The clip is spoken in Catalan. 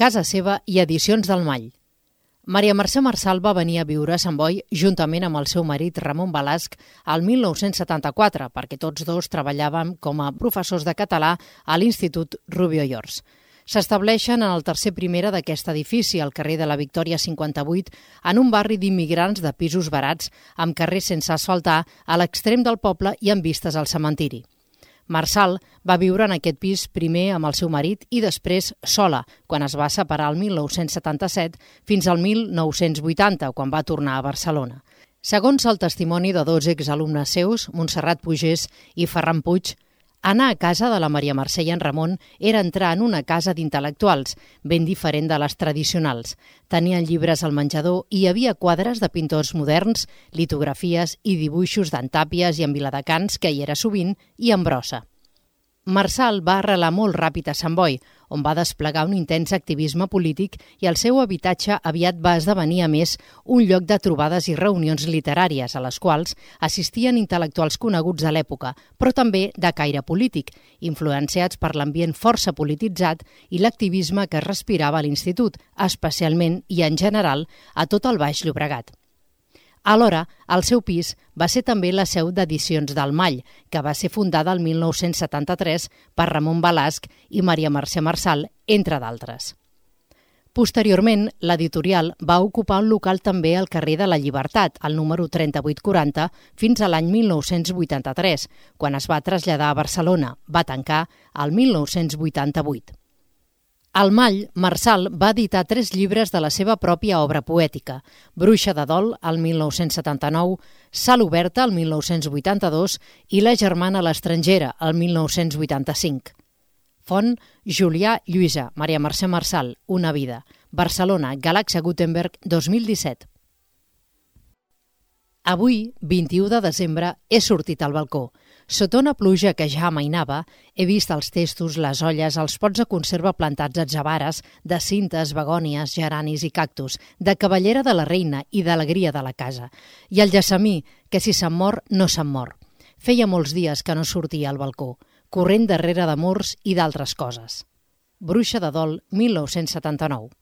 Casa seva i Edicions del Mall. Maria Mercè Marçal va venir a viure a Sant Boi juntament amb el seu marit Ramon Balasc al 1974, perquè tots dos treballàvem com a professors de català a l'Institut Rubió i Ors. S'estableixen en el tercer primera d'aquest edifici, al carrer de la Victòria 58, en un barri d'immigrants de pisos barats, amb carrers sense asfaltar, a l'extrem del poble i amb vistes al cementiri. Marçal va viure en aquest pis primer amb el seu marit i després sola, quan es va separar el 1977 fins al 1980, quan va tornar a Barcelona. Segons el testimoni de dos exalumnes seus, Montserrat Pugès i Ferran Puig, anar a casa de la Maria Mercè i en Ramon era entrar en una casa d'intel·lectuals, ben diferent de les tradicionals. Tenien llibres al menjador i hi havia quadres de pintors moderns, litografies i dibuixos d'en Tàpies i en Viladecans, que hi era sovint, i en Brossa. Marçal va arrelar molt ràpid a Sant Boi, on va desplegar un intens activisme polític i el seu habitatge aviat va esdevenir, a més, un lloc de trobades i reunions literàries a les quals assistien intel·lectuals coneguts a l'època, però també de caire polític, influenciats per l'ambient força polititzat i l'activisme que es respirava a l'Institut, especialment i en general a tot el Baix Llobregat. Alhora, el seu pis va ser també la seu d'Edicions del Mall, que va ser fundada el 1973 per Ramon Balasc i Maria Mercè Marçal, entre d'altres. Posteriorment, l'editorial va ocupar un local també al carrer de la Llibertat, al número 3840, fins a l'any 1983, quan es va traslladar a Barcelona. Va tancar el 1988. Al Mall, Marçal va editar 3 llibres de la seva pròpia obra poètica: Bruixa de Dol, el 1979, Sal Oberta, el 1982 i La germana a l'estrangera, el 1985. Font: Julià Lluïsa, Maria Mercè Marçal, Una vida. Barcelona, Galàxia Gutenberg, 2017. Avui, 21 de desembre, he sortit al balcó. Sota una pluja que ja amainava, he vist els testos, les olles, els pots de conserva plantats atzabares, de cintes, begònies, geranis i cactus, de cavallera de la reina i d'alegria de la casa. I el gessamí, que si se'n mor, no se'n mor. Feia molts dies que no sortia al balcó, corrent darrere d'amors i d'altres coses. Bruixa de Dol, 1979.